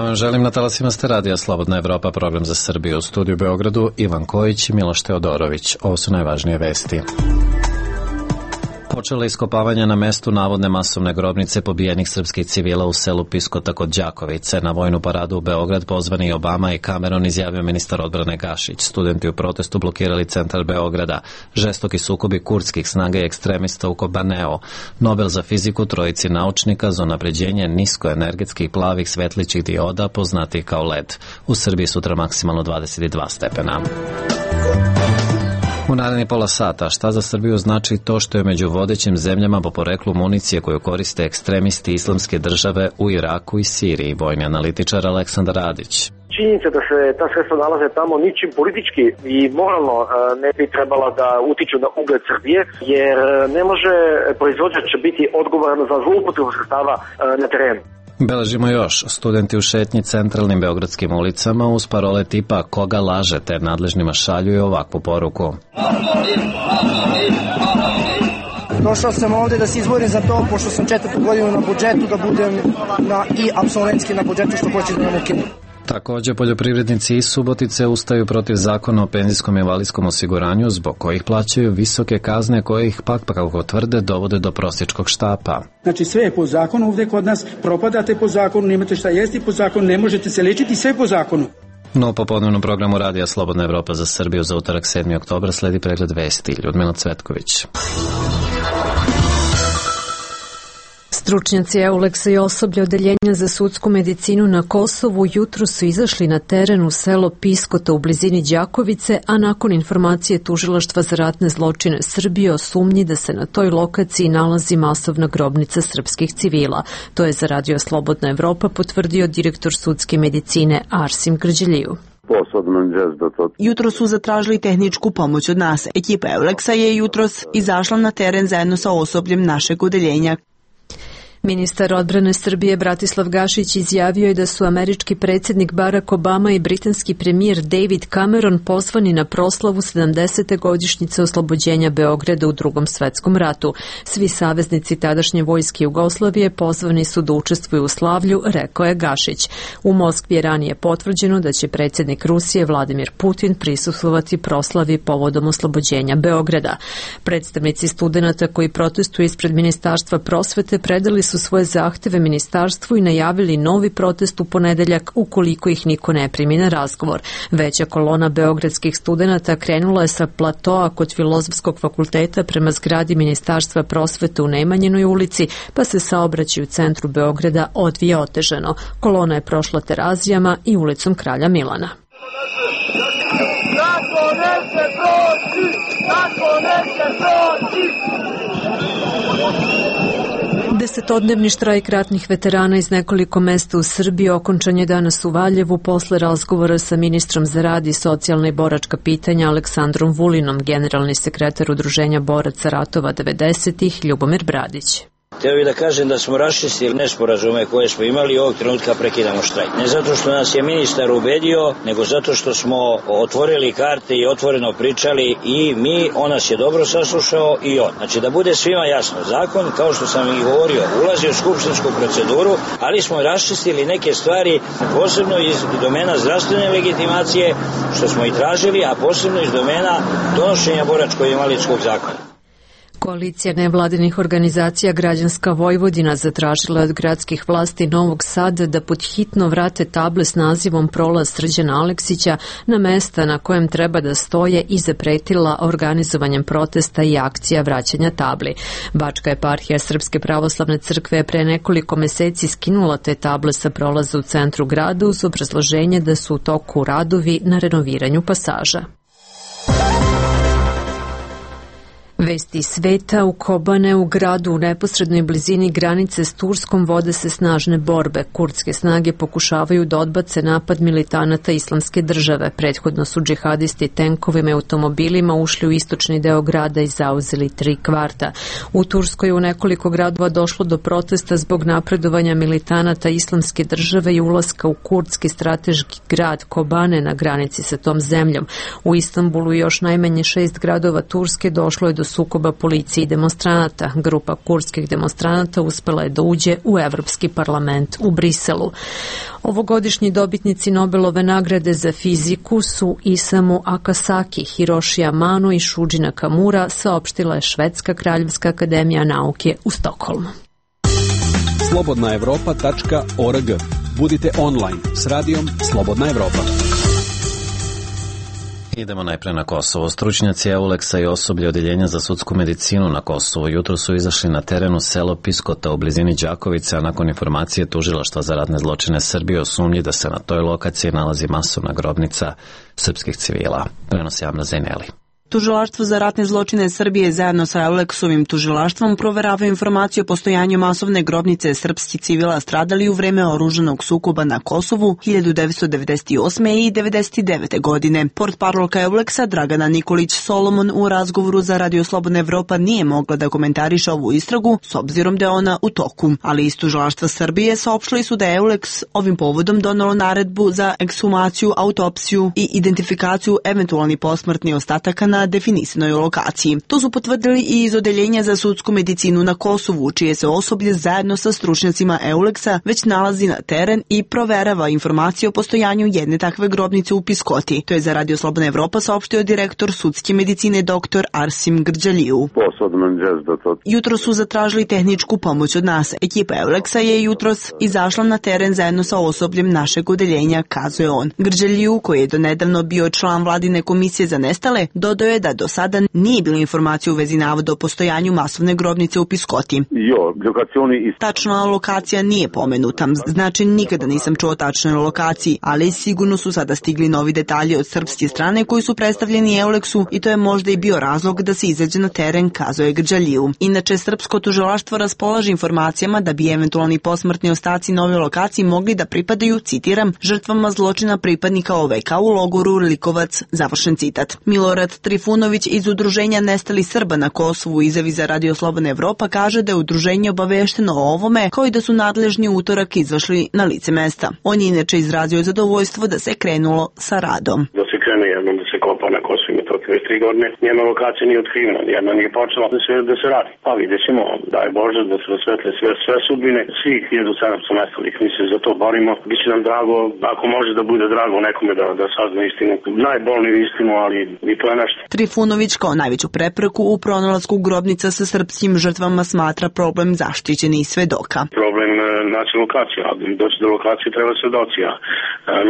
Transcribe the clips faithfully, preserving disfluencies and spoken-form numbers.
vam želim, na talasima ste radija Slobodna Evropa, program za Srbiju. U studiju u Beogradu Ivan Kojić i Miloš Teodorović. Ovo su najvažnije vesti. Počela iskopavanja na mestu navodne masovne grobnice pobijenih srpskih civila u selu Piskota kod Đakovice. Na vojnu paradu u Beograd pozvani Obama i Cameron, izjavio ministar odbrane Gašić. Studenti u protestu blokirali centar Beograda. Žestoki sukobi kurdskih snaga i ekstremista u Kobaneo. Nobel za fiziku trojici naučnika za unapređenje niskoenergetskih plavih svetlićih dioda, poznatih kao L E D. U Srbiji sutra maksimalno dvadeset dva stepena. U naredni pola sata, šta za Srbiju znači to što je među vodećim zemljama po poreklu municije koju koriste ekstremisti islamske države u Iraku i Siriji, vojni analitičar Aleksandar Radić. Činjenica da se ta sredstva nalaze tamo ničim politički i moralno ne bi trebala da utiču na ugled Srbije, jer ne može proizvođač biti odgovoran za zloupotrebu sredstava na terenu. Beležimo još. Studenti u šetnji centralnim beogradskim ulicama uz parole tipa "koga lažete" nadležnima šalju i ovakvu poruku. Došao sam ovde da se izborim za to, pošto sam četvrtu godinu na budžetu, da budem na, i apsolventski na budžetu, što hoće da nam ukinu. Također, poljoprivrednici iz Subotice ustaju protiv zakona o penzijskom i invalidskom osiguranju, zbog kojih plaćaju visoke kazne koje ih pak, pa kako tvrde, dovode do prosječkog štapa. Znači sve je po zakonu ovde kod nas, propadate po zakonu, nemate šta jesti po zakonu, ne možete se lečiti, sve po zakonu. No, po podnevnom programu radija Slobodna Evropa za Srbiju za utorak sedmog oktobra sledi pregled vesti. Ljudmila Cvetković. Stručnjaci Euleksa i osoblje odeljenja za sudsku medicinu na Kosovu jutro su izašli na teren u selo Piskota u blizini Đakovice, a nakon informacije Tužilaštva za ratne zločine Srbije o sumnji da se na toj lokaciji nalazi masovna grobnica srpskih civila. To je za radio Slobodna Evropa potvrdio direktor sudske medicine Arsim Grđeliju. Jutro su zatražili tehničku pomoć od nas. Ekipa Euleksa je jutros izašla na teren zajedno sa osobljem našeg odeljenja. Ministar odbrane Srbije Bratislav Gašić izjavio je da su američki predsjednik Barack Obama i britanski premijer David Cameron pozvani na proslavu sedamdesete godišnjice oslobođenja Beograda u Drugom svetskom ratu. Svi saveznici tadašnje vojske Jugoslavije pozvani su da učestvuju u slavlju, rekao je Gašić. U Moskvi je ranije potvrđeno da će predsjednik Rusije Vladimir Putin prisustvovati proslavi povodom oslobođenja Beograda. Predstavnici studenata koji protestuju ispred Ministarstva prosvete predali su svoje zahteve ministarstvu i najavili novi protest u ponedeljak ukoliko ih niko ne primi na razgovor. Veća kolona beogradskih studenata krenula je sa platoa kod Filozofskog fakulteta prema zgradi Ministarstva prosvete u Nemanjinoj ulici, pa se saobraćaj u centru Beograda odvija otežano. Kolona je prošla Terazijama i ulicom Kralja Milana. Tako neće proći! Tako neće proći! Desetodnevni štrajk ratnih veterana iz nekoliko mesta u Srbiji okončan je danas u Valjevu posle razgovora sa ministrom za rad i socijalna i boračka pitanja Aleksandrom Vulinom, generalni sekretar Udruženja boraca ratova devedesetih Ljubomir Bradić. Htio bih da kažem da smo raščistili nesporazume koje smo imali i ovog trenutka prekidamo štrajk. Ne zato što nas je ministar ubedio, nego zato što smo otvorili karte i otvoreno pričali i mi, on nas je dobro saslušao i on. Znači da bude svima jasno, zakon, kao što sam i govorio, ulazi u skupštinsku proceduru, ali smo raščistili neke stvari, posebno iz domena zdravstvene legitimacije, što smo i tražili, a posebno iz domena donošenja boračko-invalidskog zakona. Koalicija nevladinih organizacija Građanska Vojvodina zatražila od gradskih vlasti Novog Sada da pod hitno vrate table s nazivom Prolaz Srđana Aleksića na mesta na kojem treba da stoje i zapretila organizovanjem protesta i akcija vraćanja tabli. Bačka eparhija Srpske pravoslavne crkve je pre nekoliko meseci skinula te table sa prolaza u centru grada uz obrazloženje da su u toku radovi na renoviranju pasaža. Vesti sveta. U Kobane, u gradu u neposrednoj blizini granice s Turskom, vode se snažne borbe. Kurdske snage pokušavaju da odbace napad militanata Islamske države. Prethodno su džihadisti tenkovima i automobilima ušli u istočni deo grada i zauzeli tri kvarta. U Turskoj u nekoliko gradova došlo do protesta zbog napredovanja militanata Islamske države i ulaska u kurdski strateški grad Kobane na granici sa tom zemljom. U Istanbulu i još najmanje šest gradova Turske došlo je do sukoba policije i demonstranata. Grupa kurdskih demonstranata uspela je da uđe u Evropski parlament u Briselu. Ovogodišnji dobitnici Nobelove nagrade za fiziku su Isamu Akasaki, Hiroshi Amano i Shuji Nakamura, saopštila je Švedska kraljevska akademija nauke u Stokholmu. slobodna evropa tačka org. Budite online s radijom Slobodna Evropa. Idemo najpre na Kosovo. Stručnjaci Euleksa i osoblje Odjeljenja za sudsku medicinu na Kosovu jutro su izašli na teren u selo Piskota u blizini Đakovice, a nakon informacije Tužilaštva za ratne zločine Srbije o sumnji da se na toj lokaciji nalazi masovna grobnica srpskih civila. Prenosi Amra Zaineli. Tužilaštvo za ratne zločine Srbije zajedno sa Euleksovim tužilaštvom proverava informaciju o postojanju masovne grobnice srpskih civila stradali u vreme oružanog sukoba na Kosovu hiljadu devetsto devedeset osme. i devedeset devete. godine. Portparolka Euleksa Dragana Nikolić Solomon u razgovoru za Radio Slobodna Evropa nije mogla da komentariše ovu istragu s obzirom da je ona u toku, ali iz tužilaštva Srbije saopštili su da je Euleks ovim povodom donelo naredbu za ekshumaciju, autopsiju i identifikaciju eventualnih posmrtnih ostataka na definisanoj lokaciji. To su potvrdili i iz Odeljenja za sudsku medicinu na Kosovu, čije se osoblje zajedno sa stručnjacima Euleksa već nalazi na teren i proverava informacije o postojanju jedne takve grobnice u Piskoti. To je za Radio Slobodna Evropa saopštio direktor sudske medicine dr Arsim Grđaliju. Jutro su zatražili tehničku pomoć od nas. Ekipa Euleksa je jutros izašla na teren zajedno sa osobljem našeg odeljenja, kazuje on. Grđaliju, koji je donedavno bio član vladine komisije za nestale, dodao je da do sada nije bilo informacije u vezi navoda o postojanju masovne grobnice u Piskoti. Tačna lokacija nije pomenuta, znači nikada nisam čuo tačnoj lokaciji, ali sigurno su sada stigli novi detalji od srpske strane koji su predstavljeni Euleksu i to je možda i bio razlog da se izađe na teren, kazuje Grđaliju. Inače, srpsko tužilaštvo raspolaže informacijama da bi eventualni posmrtni ostaci nove lokaciji mogli da pripadaju, citiram, žrtvama zločina pripadnika O V K u logoru Likovac, završen citat. Milorad Trifunović iz Udruženja Nestali Srba na Kosovu izjavi za Radio Slobodna Evropa kaže da je udruženje obavešteno o ovome, kao i da su nadležni utorak izašli na lice mesta. On je inače izrazio zadovoljstvo da se krenulo sa radom. Da se krene jednom da se kopa na Kosovu i Metohiji već tri godine, njena lokacija nije otkrivena, jedna nije počela da se, da se radi. Pa vidjet ćemo, daj Bože da se rasvetle sve, sve sudbine, svih hiljadu sedamsto nestalih, mi se za to borimo. Biće nam drago, ako može da bude drago nekome da, da sazna istinu, najbolniju istinu, ali i to je nešto. Trifunović kao najveću prepreku u pronalasku grobnica sa srpskim žrtvama smatra problem zaštićenih svedoka. Problem naći lokacija, a doći do lokacije treba svedoci, a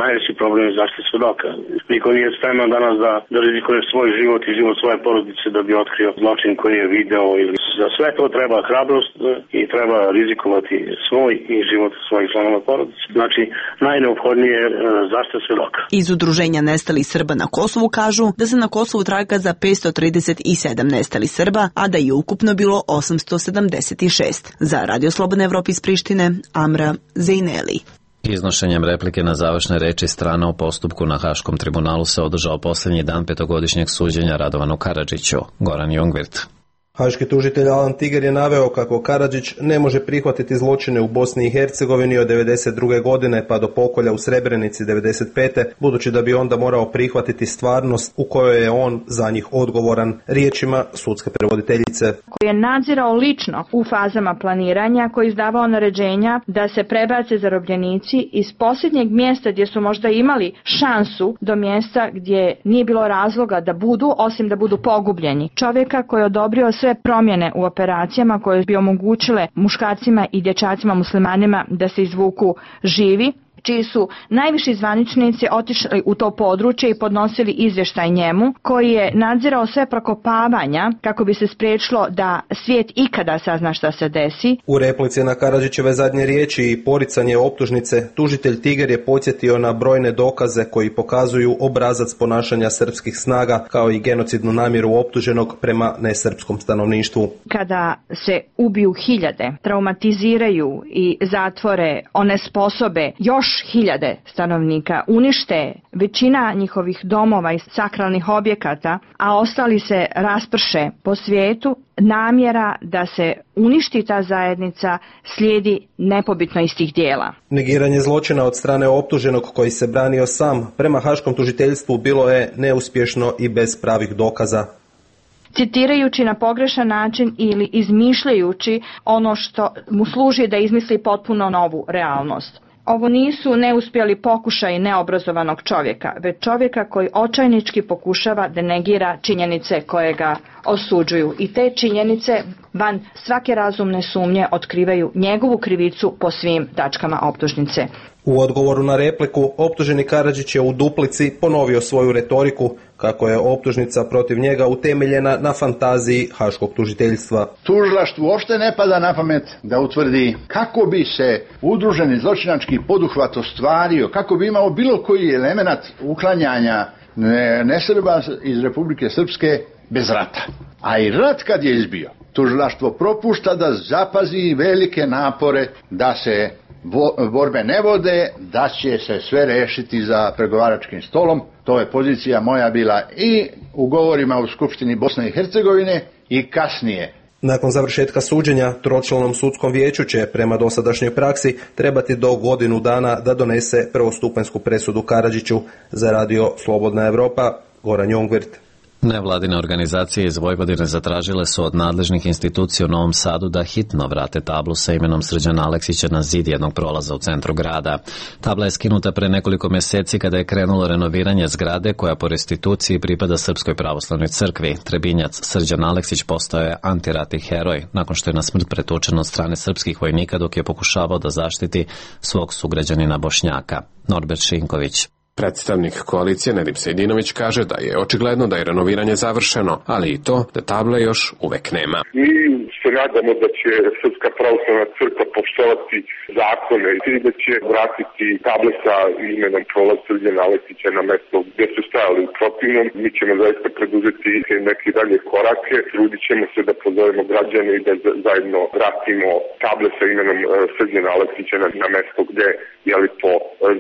najveći problem je zaštita svedoka. Niko nije spreman danas da, da rizikuje svoj život i život svoje porodice da bi otkrio zločin koji je video ili za sve to treba hrabrost i treba rizikovati svoj i život svojih članova porodice. Znači, najneophodnije je zaštita svedoka. Iz Udruženja Nestali Srba na Kosovu kažu da se na Kosovu traga za petsto trideset sedam nestali Srba, a da je ukupno bilo osamsto sedamdeset šest. Za Radio Slobodna Evropa iz Prištine, Amra Zaineli. Iznošenjem replike na završne reči strana u postupku na Haškom tribunalu se održao posljednji dan petogodišnjeg suđenja Radovanu Karadžiću. Goran Jungvirt. Haški tužitelj Alan Tiger je naveo kako Karadžić ne može prihvatiti zločine u Bosni i Hercegovini od devedeset druge godine pa do pokolja u Srebrenici devedeset pete, budući da bi onda morao prihvatiti stvarnost u kojoj je on za njih odgovoran, riječima sudske prevoditeljice. Koji je nadzirao lično u fazama planiranja, koji je izdavao naređenja da se prebace zarobljenici iz posljednjeg mjesta gdje su možda imali šansu do mjesta gdje nije bilo razloga da budu, osim da budu pogubljeni. Čovjeka koji je odobrio sve promjene u operacijama koje bi omogućile muškarcima i dječacima muslimanima da se izvuku živi, čiji su najviši zvaničnici otišli u to područje i podnosili izvještaj njemu, koji je nadzirao sve prokopavanja kako bi se spriječilo da svijet ikada sazna šta se desi. U replici na Karadžićeve zadnje riječi i poricanje optužnice, tužitelj Tiger je podsjetio na brojne dokaze koji pokazuju obrazac ponašanja srpskih snaga kao i genocidnu namjeru optuženog prema nesrpskom stanovništvu. Kada se ubiju hiljade, traumatiziraju i zatvore, onesposobe još hiljade stanovnika, unište većina njihovih domova i sakralnih objekata, a ostali se rasprše po svijetu, namjera da se uništi ta zajednica slijedi nepobitno iz tih dijela. Negiranje zločina od strane optuženog koji se branio sam prema Haškom tužiteljstvu bilo je neuspješno i bez pravih dokaza. citirajući na pogrešan način ili izmišljajući ono što mu služi da izmisli potpuno novu realnost. Ovo nisu neuspjeli pokušaj neobrazovanog čovjeka, već čovjeka koji očajnički pokušava da negira činjenice koje ga osuđuju. I te činjenice van svake razumne sumnje otkrivaju njegovu krivicu po svim tačkama optužnice. U odgovoru na repliku, optuženi Karadžić je u duplici ponovio svoju retoriku kako je optužnica protiv njega utemeljena na fantaziji haškog tužiteljstva. Tužilaštvu uopšte ne pada na pamet da utvrdi kako bi se udruženi zločinački poduhvat ostvario, kako bi imao bilo koji element uklanjanja nesrba iz Republike Srpske bez rata. A i rat kad je izbio, tužilaštvo propušta da zapazi velike napore da se borbe ne vode, da će se sve rešiti za pregovaračkim stolom. To je pozicija moja bila i u govorima u Skupštini Bosne i Hercegovine i kasnije. Nakon završetka suđenja, tročlanom sudskom vijeću će prema dosadašnjoj praksi trebati do godinu dana da donese prvostupanjsku presudu Karadžiću. Za radio Slobodna Evropa, Goran Jongvirt. Nevladine organizacije iz Vojvodine zatražile su od nadležnih institucija u Novom Sadu da hitno vrate tablu sa imenom Srđana Aleksića na zid jednog prolaza u centru grada. Tabla je skinuta pre nekoliko mjeseci kada je krenulo renoviranje zgrade koja po restituciji pripada Srpskoj pravoslavnoj crkvi. Trebinjac Srđan Aleksić postao je antiratni heroj nakon što je na smrt pretučen od strane srpskih vojnika dok je pokušavao da zaštiti svog sugrađanina Bošnjaka. Norbert Šinković. Predstavnik koalicije Nedim Sejdinović kaže da je očigledno da je renoviranje završeno, ali i to da table još uvek nema. Mi se nadamo da će Srpska pravoslavna crkva poštovati zakone i da će vratiti table sa imenom prolaz Srđana Aleksića na mesto gdje su stajali. U protivnom, mi ćemo zaista preduzeti neke dalje korake. Trudit ćemo se da pozovemo građane i da zajedno vratimo table sa imenom Srđana Aleksića na, na mesto gdje je li po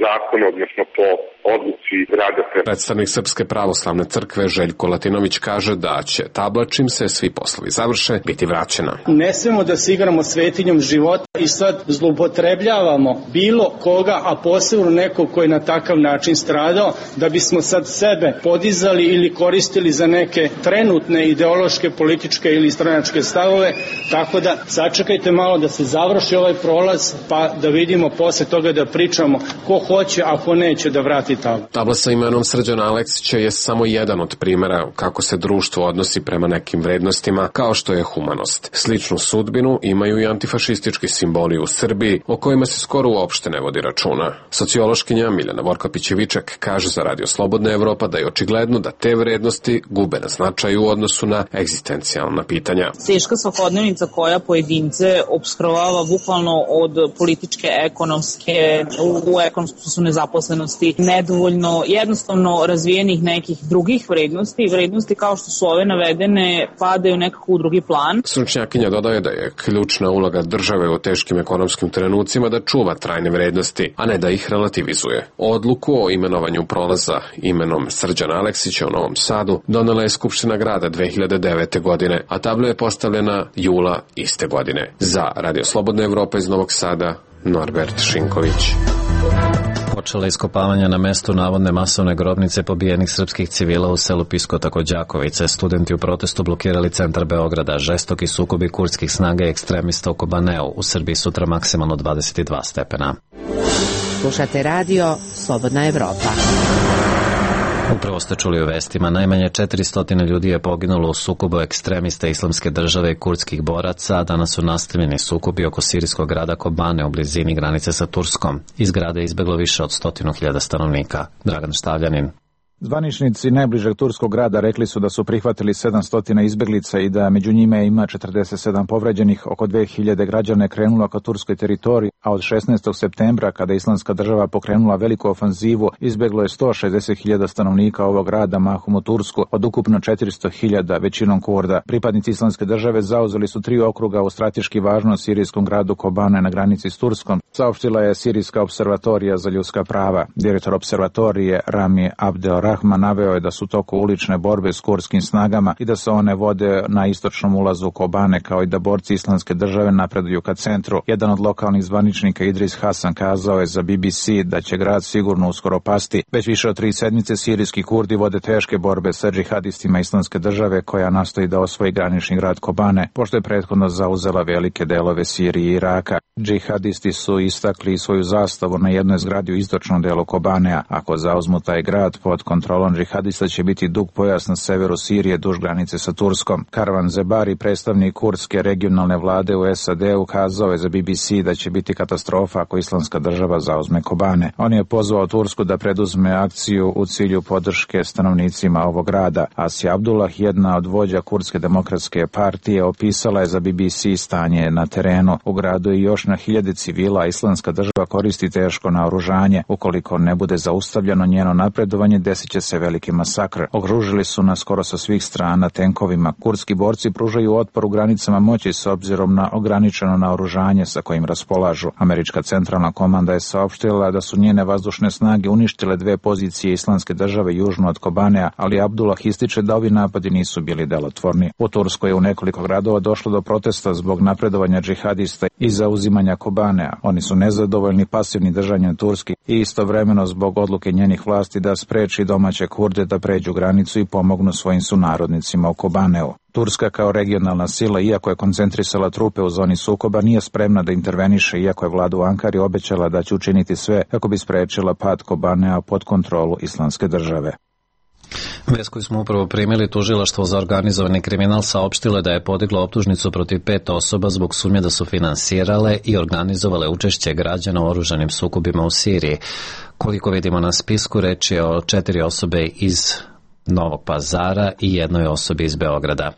zakonu, odnosno po odluci grada. Predstavnik Srpske pravoslavne crkve Željko Latinović kaže da će tabla, čim se svi poslovi završe, biti vraćena. Ne smemo da se igramo svetinjom života i sad zloupotrebljavamo bilo koga, a posebno nekog koji je na takav način stradao, da bismo sad sebe podizali ili koristili za neke trenutne ideološke, političke ili stranačke stavove, tako da sačekajte malo da se završi ovaj prolaz, pa da vidimo posle toga da pričamo ko hoće, a ko neće da vrati tablu. Tabla sa imenom Srđana Aleksića je samo jedan od primjera kako se društvo odnosi prema nekim vrednostima, kao što je humanost. Sličnu sudbinu imaju i antifašistički simboli u Srbiji, o kojima se skoro uopšte ne vodi računa. Sociološkinja Miljana Vorkapić-Viček kaže za radio Slobodna Evropa da je očigledno da te vrednosti gube na značaju u odnosu na egzistencijalna pitanja. Teška svakodnevnica koja pojedince opskrovava bukvalno od političke, ekonomske, u ekonomskom su nezaposlenosti, nedovoljno jednostavno razvijenih nekih drugih vrednosti, vrednosti kao što su ove navedene padaju nekako u drugi plan. Stručnjakinja dodaje da je ključna uloga države u teškim ekonomskim trenucima da čuva trajne vrednosti, a ne da ih relativizuje. Odluku o imenovanju prolaza imenom Srđana Aleksića u Novom Sadu donela je Skupština grada dve hiljade devete. godine, a tabla je postavljena jula iste godine. Za Radio Slobodna Evropa iz Novog Sada, Norbert Šinković. Počela iskopavanja na mestu navodne masovne grobnice pobijenih srpskih civila u selu Piskota kod Đakovice. Studenti u protestu blokirali centar Beograda. Žestoki sukobi kurdskih snaga i ekstremista u Kobaneu. U Srbiji sutra maksimalno dvadeset dva stepena. Slušate radio Slobodna Evropa. Upravo ste čuli u vestima, najmanje četiristo ljudi je poginulo u sukobu ekstremista Islamske države i kurdskih boraca, a danas su nastavljeni sukobi oko sirijskog grada Kobane u blizini granice sa Turskom. Iz grada je izbeglo više od stotinu hiljada stanovnika. Dragan Štavljanin. Zvaničnici najbližeg turskog grada rekli su da su prihvatili sedamsto izbeglica i da među njime ima četrdeset sedam povređenih. Oko dve hiljade građana je krenulo ka turskoj teritoriji, a od šesnaestog septembra, kada je Islamska država pokrenula veliku ofanzivu, izbeglo je sto šezdeset hiljada stanovnika ovog grada, mahom u Tursku, od ukupno četiristo hiljada, većinom Kurda. Pripadnici Islamske države zauzeli su tri okruga u strateški važnom sirijskom gradu Kobane na granici s Turskom, saopštila je Sirijska observatorija za ljudska prava. Direktor observatorije Rami Abdel Rahman naveo je da su toku ulične borbe s kurdskim snagama i da se one vode na istočnom ulazu Kobane, kao i da borci Islamske države napreduju ka centru. Jedan od lokalnih zvaničnika Idris Hasan kazao je za B B C da će grad sigurno uskoro pasti. Već više od tri sedmice sirijski Kurdi vode teške borbe sa džihadistima Islamske države koja nastoji da osvoji granični grad Kobane, pošto je prethodno zauzela velike delove Sirije i Iraka. Džihadisti su istakli svoju zastavu na jednoj zgradi u istočnom delu Kobanea. Ako zauzmu taj grad, pod kontrolom džihadista će biti dug pojas na severu Sirije duž granice sa Turskom. Karvan Zebari, predstavnik kurdske regionalne vlade u S A D-u, kazao je za B B C da će biti katastrofa ako Islamska država zauzme Kobane. On je pozvao Tursku da preduzme akciju u cilju podrške stanovnicima ovog grada. Asja Abdullah, jedna od vođa Kurdske demokratske partije, opisala je za B B C stanje na terenu. U gradu je još na hiljade civila, Islamska država koristi teško naoružanje. Ukoliko ne bude zaustavljeno njeno napredovanje, desit će se veliki masakr. Okružili su nas skoro sa svih strana tenkovima. Kurdski borci pružaju otpor u granicama moći s obzirom na ograničeno naoružanje sa kojim raspolažu. Američka centralna komanda je saopštila da su njene vazdušne snage uništile dve pozicije Islamske države južno od Kobanea, ali Abdullah ističe da ovi napadi nisu bili delotvorni. U Turskoj je u nekoliko gradova došlo do protesta zbog napredovanja džihadista i zauzimanja Kobanea. Oni su nezadovoljni pasivnim držanjem Turski i istovremeno zbog odluke njenih vlasti da spreči domaće Kurde da pređu granicu i pomognu svojim sunarodnicima u Kobaneu. Turska kao regionalna sila, iako je koncentrisala trupe u zoni sukoba, nije spremna da interveniše, iako je vlada u Ankari obećala da će učiniti sve kako bi sprečila pad Kobanea pod kontrolu Islamske države. Vest koju smo upravo primili, tužilaštvo za organizovani kriminal saopštilo da je podiglo optužnicu protiv pet osoba zbog sumnje da su finansirale i organizovale učešće građana u oružanim sukobima u Siriji. Koliko vidimo na spisku, reč je o četiri osobe iz Novog Pazara i jednoj osobi iz Beograda.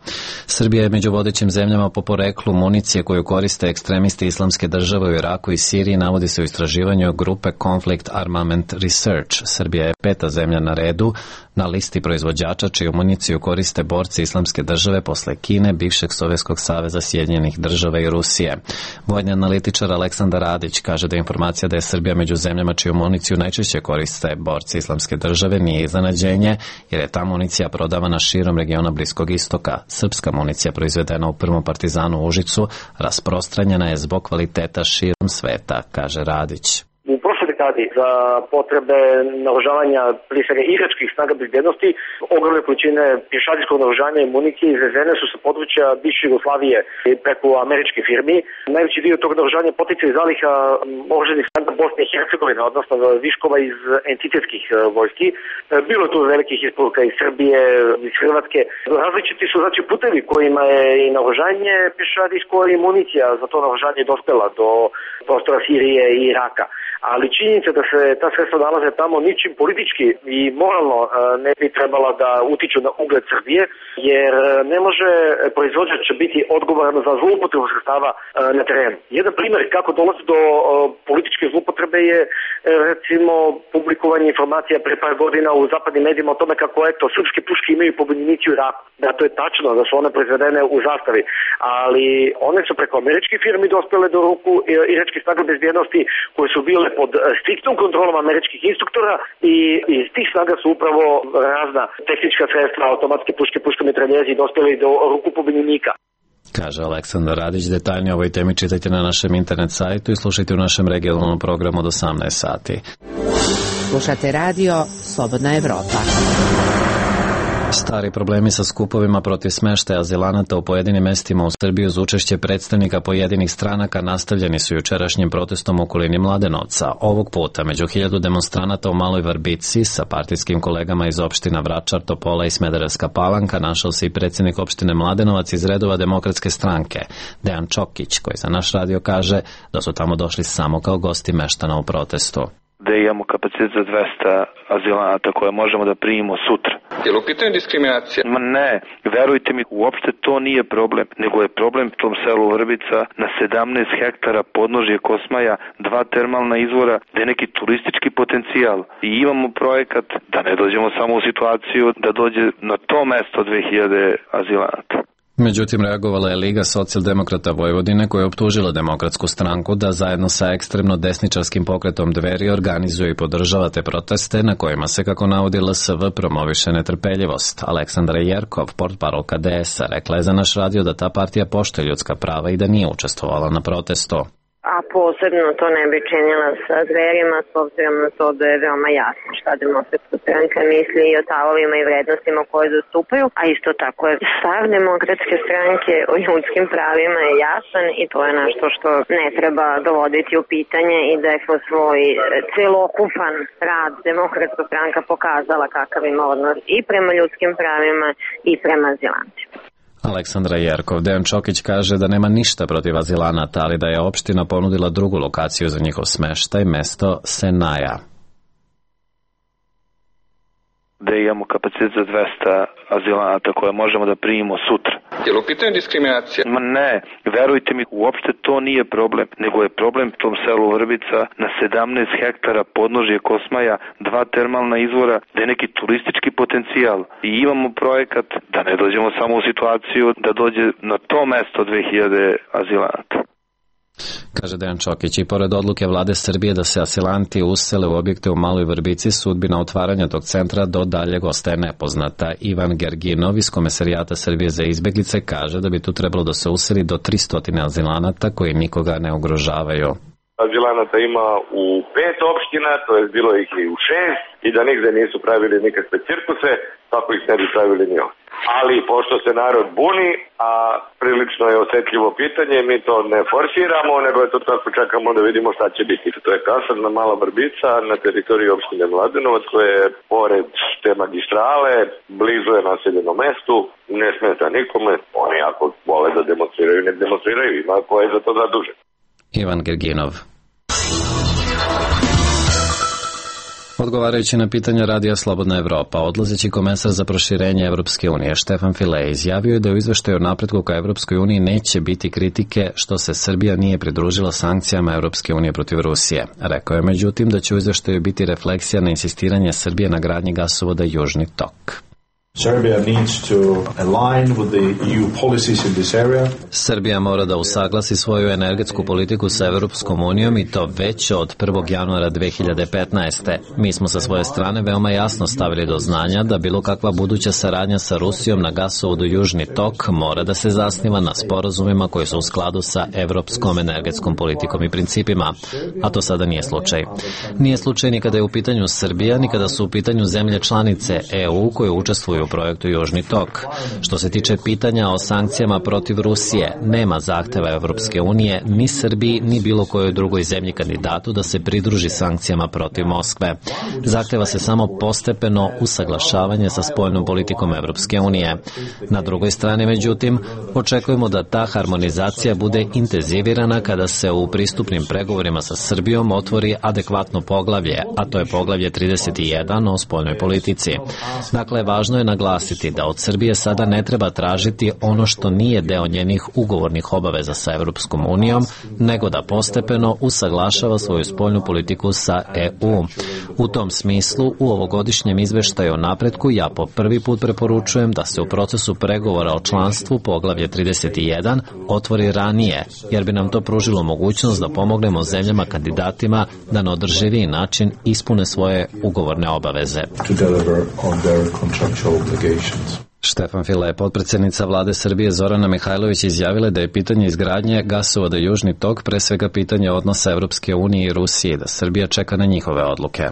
Srbija je među vodećim zemljama po poreklu municije koju koriste ekstremisti Islamske države u Iraku i Siriji, navodi se u istraživanju grupe Conflict Armament Research. Srbija je peta zemlja na redu na listi proizvođača čiju municiju koriste borci Islamske države posle Kine, bivšeg Sovjetskog saveza, Sjedinjenih država i Rusije. Vojni analitičar Aleksandar Radić kaže da informacija da je Srbija među zemljama čiju municiju najčešće koriste borci Islamske države nije iznenađenje, jer je ta municija prodavana širom regiona Bliskog istoka. Srpska municija proizvedena u prvom partizanu u Užicu rasprostranjena je zbog kvaliteta širom sveta, kaže Radić. U prošloj dekadi za potrebe naoružavanja prije svega iračkih snaga bezbjednosti ogromne količine pješadijskog naoružanja i municije izvezene su sa područja bivše Jugoslavije preko američke firmi. Najveći dio tog naoružanja potiče iz zaliha oružanih snaga Bosne i Hercegovine, odnosno viškova iz entitetskih vojski. Bilo je tu velikih isporuka iz Srbije, iz Hrvatske. Različiti su znači putevi kojima je i naoružanje pješadijsko i municija za to naoružanje dospela do prostora Sirije i Iraka. Ali činjenica da se ta sredstva nalaze tamo ničim politički i moralno ne bi trebala da utiču na ugled Srbije, jer ne može proizvođač biti odgovoran za zloupotrebu sredstava na terenu. Jedan primjer kako dolazi do političke zloupotrebe je recimo publikovanje informacija pre par godina u zapadnim medijima o tome kako eto srpske puške imaju pobunjenici u Iraku. Da, to je tačno da su one proizvedene u zastavi, ali one su preko američkih firmi dospele do ruku iračkih snaga bezbjednosti koje su bile pod striktnom kontrolom američkih instruktora i iz tih snaga su upravo razna tehnička sredstva, automatske puške, puške mitraljezi dospjeli do ruku pobunjenika. Kaže Aleksandar Radić. Detaljnije o ovoj temi čitajte na našem internet sajtu i slušajte u našem regionalnom programu od osamnaest sati. Slušate radio Slobodna Evropa. Stari problemi sa skupovima protiv smeštaja azilanata u pojedinim mestima u Srbiji uz učešće predstavnika pojedinih stranaka nastavljeni su jučerašnjim protestom u okolini Mladenovca. Ovog puta među hiljadu demonstranata u Maloj Vrbici sa partijskim kolegama iz opština Vračar, Topola i Smederevska Palanka našao se i predsjednik opštine Mladenovac iz redova Demokratske stranke, Dejan Čokić, koji za naš radio kaže da su tamo došli samo kao gosti meštana u protestu. Da imamo kapacitet za dvesta azilanata koje možemo da primimo sutra. Je li u pitanju diskriminacija? Ma ne, verujte mi, uopšte to nije problem, nego je problem u tom selu Vrbica na sedamnaest hektara podnožje Kosmaja, dva termalna izvora, da je neki turistički potencijal. I imamo projekat da ne dođemo samo u situaciju da dođe na to mesto dve hiljade azilanata. Međutim, reagovala je Liga socijaldemokrata Vojvodine koja je optužila Demokratsku stranku da zajedno sa ekstremno desničarskim pokretom Dveri organizuje i podržava te proteste na kojima se, kako navodi L S V, promoviše netrpeljivost. Aleksandra Jerkov, portparolka D S A, rekla je za naš radio da ta partija poštuje ljudska prava i da nije učestvovala na protestu. A posebno to ne bi činila sa Dverima, s obzirom na to da je veoma jasno šta Demokratska stranka misli i o stavovima i vrednostima koje zastupaju, a isto tako je stav Demokratske stranke o ljudskim pravima je jasan i to je nešto što ne treba dovoditi u pitanje i da je kroz svoj celokupan rad Demokratska stranka pokazala kakav ima odnos i prema ljudskim pravima i prema azilantima. Aleksandra Jerkov. Dejan Čokić kaže da nema ništa protiv azilanata, ali da je opština ponudila drugu lokaciju za njihov smeštaj, mesto Senaja. Da imamo kapacitet za dvesta azilanata koje možemo da primimo sutra. Je li u pitanju diskriminacija? Ma ne, verujte mi, uopšte to nije problem, nego je problem u tom selu Vrbica na sedamnaest hektara podnožje Kosmaja, dva termalna izvora, da je neki turistički potencijal. I imamo projekat da ne dođemo samo u situaciju da dođe na to mesto dve hiljade azilanata. Kaže Dejan Čokić. I pored odluke vlade Srbije da se asilanti usele u objekte u Maloj Vrbici, sudbina otvaranja tog centra do daljeg ostaje nepoznata. Ivan Gerginov iz Komesarijata Srbije za izbeglice kaže da bi tu trebalo da se useli do tristo azilanata koji nikoga ne ugrožavaju. Azilanata ima u pet opština, to je bilo ih i u šest, i da nigde nisu pravili nikakve cirkuse, tako ih ne bi pravili ni ovdje. Ali pošto se narod buni, a prilično je osetljivo pitanje, mi to ne forsiramo, nego je to tako čekamo da vidimo šta će biti. To je kasarna Mala Vrbica na teritoriji opštine Mladenovac, koja je pored te magistrale, blizu je naseljenom mestu, ne smeta nikome, oni ako vole da demonstriraju, ne demonstriraju, ima ko je za to zadužen. Ivan Gerginov. Odgovarajući na pitanja radija Slobodna Evropa, odlazeći komesar za proširenje Evropske unije Štefan File izjavio je da u izveštaju o napretku ka Evropskoj uniji neće biti kritike što se Srbija nije pridružila sankcijama Evropske unije protiv Rusije. Rekao je međutim da će u izveštaju biti refleksija na insistiranje Srbije na gradnji gasovoda Južni tok. Serbia needs to align with the E U policies in this area. Srbija mora da usaglasi svoju energetsku politiku sa Evropskom unijom i to već od prvog januara dve hiljade petnaeste. Mi smo sa svoje strane veoma jasno stavili do znanja da bilo kakva buduća saradnja sa Rusijom na gasovodu Južni tok mora da se zasniva na sporazumima koji su u skladu sa evropskom energetskom politikom i principima, a to sada nije slučaj. Nije slučaj ni kada je u pitanju Srbija, ni kada su u pitanju zemlje članice E U koje učestvuju u projektu Južni tok. Što se tiče pitanja o sankcijama protiv Rusije, nema zahteva Evropske unije, ni Srbiji, ni bilo kojoj drugoj zemlji kandidatu da se pridruži sankcijama protiv Moskve. Zahteva se samo postepeno usaglašavanje sa spoljnom politikom Evropske unije. Na drugoj strani, međutim, očekujemo da ta harmonizacija bude intenzivirana kada se u pristupnim pregovorima sa Srbijom otvori adekvatno poglavlje, a to je poglavlje trideset jedan o spoljnoj politici. Dakle, važno je naglasiti da od Srbije sada ne treba tražiti ono što nije deo njenih ugovornih obaveza sa Evropskom unijom, nego da postepeno usaglašava svoju spoljnu politiku sa E U. U tom smislu, u ovogodišnjem izveštaju o napretku ja po prvi put preporučujem da se u procesu pregovora o članstvu poglavlje trideset jedan otvori ranije, jer bi nam to pružilo mogućnost da pomognemo zemljama kandidatima da na održiviji način ispune svoje ugovorne obaveze. Štefan File, potpredsednica vlade Srbije Zorana Mihajlović, izjavila da je pitanje izgradnje gasovoda Južni tok pre svega pitanje odnosa Evropske unije i Rusije, da Srbija čeka na njihove odluke.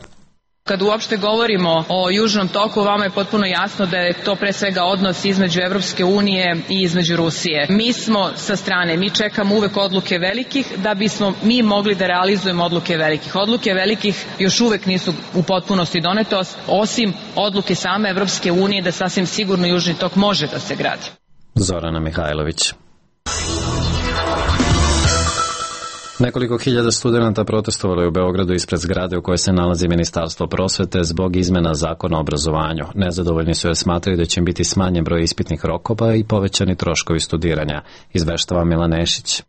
Kad uopšte govorimo o Južnom toku, vama je potpuno jasno da je to pre svega odnos između Evropske unije i između Rusije. Mi smo sa strane, mi čekamo uvek odluke velikih da bismo mi mogli da realizujemo odluke velikih. Odluke velikih još uvek nisu u potpunosti donete, osim odluke same Evropske unije da sasvim sigurno Južni tok može da se gradi. Zorana Mihajlović. Nekoliko hiljada studenta protestovalo je u Beogradu ispred zgrade u kojoj se nalazi Ministarstvo prosvete zbog izmena zakona o obrazovanju. Nezadovoljni su jer smatraju da će im biti smanjen broj ispitnih rokova i povećani troškovi studiranja. Izveštava Milan Nešić.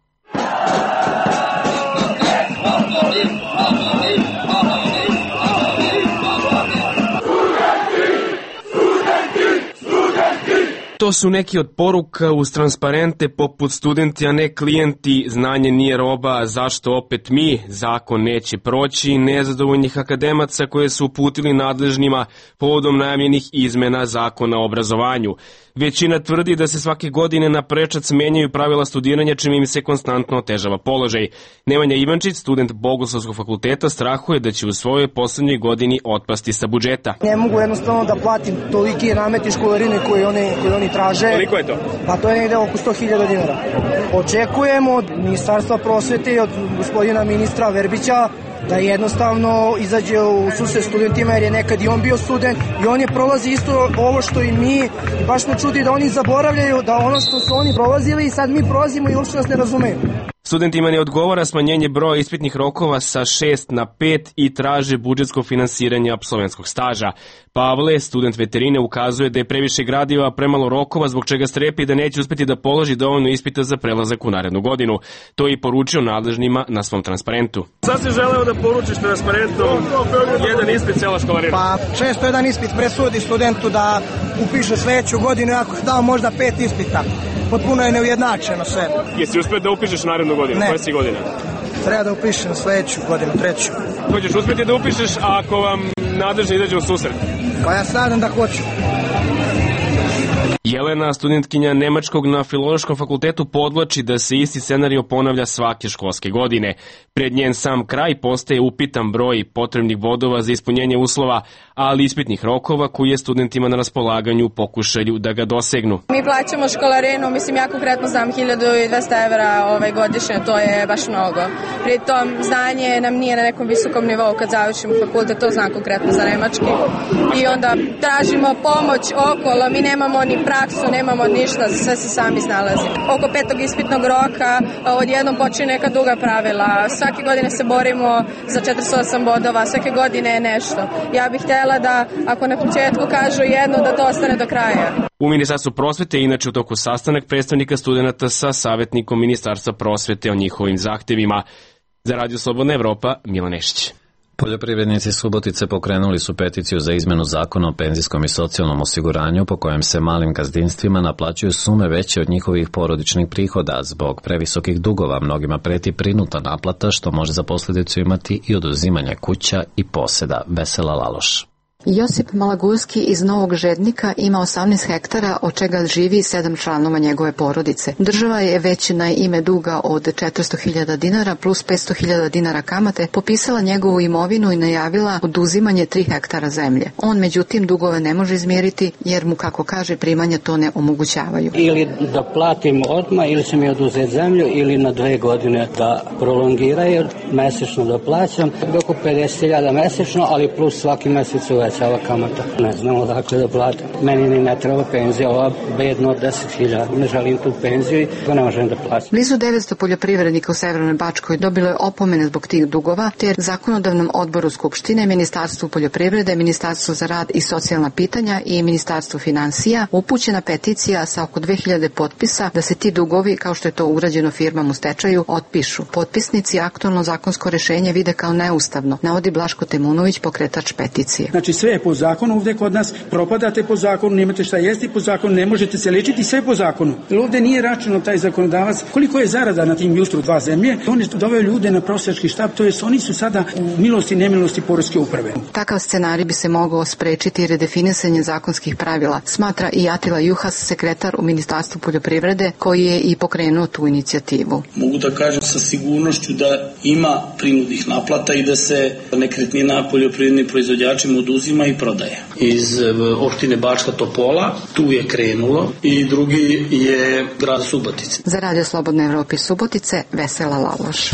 To su neki od poruka uz transparente poput studenti, a ne klijenti, znanje nije roba, zašto opet mi, zakon neće proći, nezadovoljnih akademaca koje su uputili nadležnima povodom najavljenih izmena zakona o obrazovanju. Većina tvrdi da se svake godine na prečac menjaju pravila studiranja, čime im se konstantno otežava položaj. Nemanja Ivančić, student Bogoslovskog fakulteta, strahuje da će u svojoj poslednjoj godini otpasti sa budžeta. Ne mogu jednostavno da platim toliki nameti školarine koje oni, koje oni traže. Koliko je to? Pa to je negde oko sto hiljada dinara. Očekujemo od Ministarstva prosvete i od gospodina ministra Verbića da jednostavno izađe u susret studentima, jer je nekad i on bio student i on je prolazi isto ovo što i mi, i baš me čudi da oni zaboravljaju da ono što su oni prolazili i sad mi prolazimo i uopšte nas ne razumeju. Studentima ne odgovara smanjenje broja ispitnih rokova sa šest na pet i traže budžetsko finansiranje apsolventskog staža. Pavle, student veterine, ukazuje da je previše gradiva, premalo rokova, zbog čega strepi da neće uspeti da položi dovoljno ispita za prelazak u narednu godinu. To je i poručio nadležnima na svom transparentu. Sad si želeo da poručiš transparentu jedan ispit cela školarina? Pa često jedan ispit presudi studentu da upiše sledeću godinu, ako je dao možda pet ispita. Potpuno je neujednačeno sve. Jesi uspio da upišeš narednu godinu? Ne. Koja si godina? Treba da upišem sledeću godinu, treću. Hoćeš uspjeti da upišeš ako vam nadležni izađe u susret? Pa ja se nadam da hoću. Jelena, studentkinja Nemačkog na Filološkom fakultetu, podvlači da se isti scenario ponavlja svake školske godine. Pred njen sam kraj postaje upitan broj potrebnih bodova za ispunjenje uslova, ali ispitnih rokova koji je studentima na raspolaganju u pokušaju da ga dosegnu. Mi plaćamo školarinu, mislim ja konkretno znam hiljadu dvesta evra ovaj, godišnje, to je baš mnogo. Pritom znanje nam nije na nekom visokom nivou kad završimo fakultet, to znam konkretno za nemački. I onda tražimo pomoć okolo, mi nemamo ni praksu, nemamo ništa, sve se sami snalazimo. Oko petog ispitnog roka odjednom počinje neka duga pravila. Svake godine se borimo za četrdeset osam bodova, svake godine je nešto. Ja bih htjela da ako na početku kažu jedno, da to ostane do kraja. U Ministarstvu prosvete je inače u toku sastanak predstavnika studenta sa savjetnikom Ministarstva prosvete o njihovim zahtevima. Za Radio Slobodna Evropa, Milan Nešić. Poljoprivrednici Subotice pokrenuli su peticiju za izmenu zakona o penzijskom i socijalnom osiguranju po kojem se malim gazdinstvima naplaćuju sume veće od njihovih porodičnih prihoda. Zbog previsokih dugova mnogima preti prinudna naplata, što može za posljedicu imati i oduzimanje kuća i poseda. Vesela Laloš. Josip Malagurski iz Novog Žednika ima osamnaest hektara, od čega živi sedam članova njegove porodice. Država je već na ime duga od četiristo hiljada dinara plus petsto hiljada dinara kamate popisala njegovu imovinu i najavila oduzimanje tri hektara zemlje. On međutim dugove ne može izmjeriti jer mu, kako kaže, primanja to ne omogućavaju. Ili da platim odmah ili će mi oduzeti zemlju ili na dve godine da prolongiraju, mesečno da plaćam, oko pedeset hiljada mesečno, ali plus svaki mesec uvećava kamata. Ne znam odakle da platim. Meni ni ne treba penzija, ova bedno od deset hiljada. Ne želim tu penziju i to ne možem da platim. Blizu devetsto poljoprivrednika u Severnoj Bačkoj dobilo je opomene zbog tih dugova, te zakonodavnom odboru Skupštine, Ministarstvu poljoprivrede, Ministarstvu za rad i socijalna pitanja i Ministarstvu finansija upućena peticija sa oko dve hiljade potpisa da se ti dugovi, kao što je to urađeno firmama u stečaju, otpišu. Potpisnici aktualno zakonsko rešenje vide kao neustavno, navodi Blaško Temunović, pokretač peticije. Znači sve je po zakonu ovde kod nas, propadate po zakonu, nemate šta jesti po zakonu, ne možete se lečiti, sve po zakonu. Jer ovde nije računao taj zakonodavac koliko je zarada na tim Justru dva zemlje. On je doveo ljude na prosjački štab, to jest oni su sada u milosti i nemilosti poreske uprave. Takav scenarij bi se mogao sprečiti redefinisanje zakonskih pravila, smatra i Atila Juhas, sekretar u Ministarstvu poljoprivrede, koji je i pokrenuo tu inicijativu. Mogu da kažem sa sigurnošću da ima prinudnih naplata i da se nekretnina poljoprivrednim proizvođačima oduzima i prodaje. Iz opštine Bačka Topola tu je krenulo i drugi je grad Subotice. Za Radio Slobodna Evropa iz Subotice, Vesela Laloš.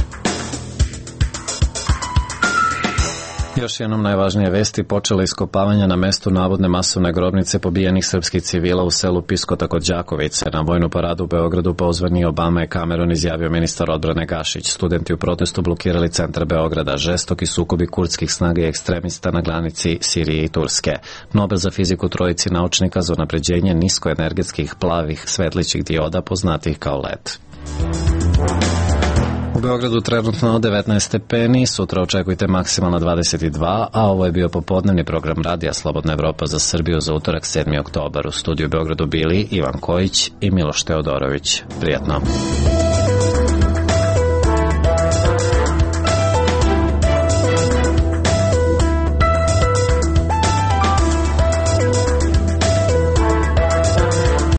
Još jednom najvažnije vesti: počela iskopavanja na mestu navodne masovne grobnice pobijenih srpskih civila u selu Piskota kod Đakovice. Na vojnu paradu u Beogradu pozvani Obama i Cameron, izjavio ministar odbrane Gašić. Studenti u protestu blokirali centar Beograda. Žestoki sukobi kurdskih snaga i ekstremista na granici Sirije i Turske. Nobel za fiziku trojici naučnika za unapređenje niskoenergetskih plavih svetlićih dioda poznatih kao L E D. U Beogradu trenutno devetnaest stepeni, sutra očekujte maksimalno dvadeset dva, a ovo je bio popodnevni program Radija Slobodna Evropa za Srbiju za utorak sedmi oktobar. U studiju u Beogradu bili Ivan Kojić i Miloš Teodorović. Prijetno.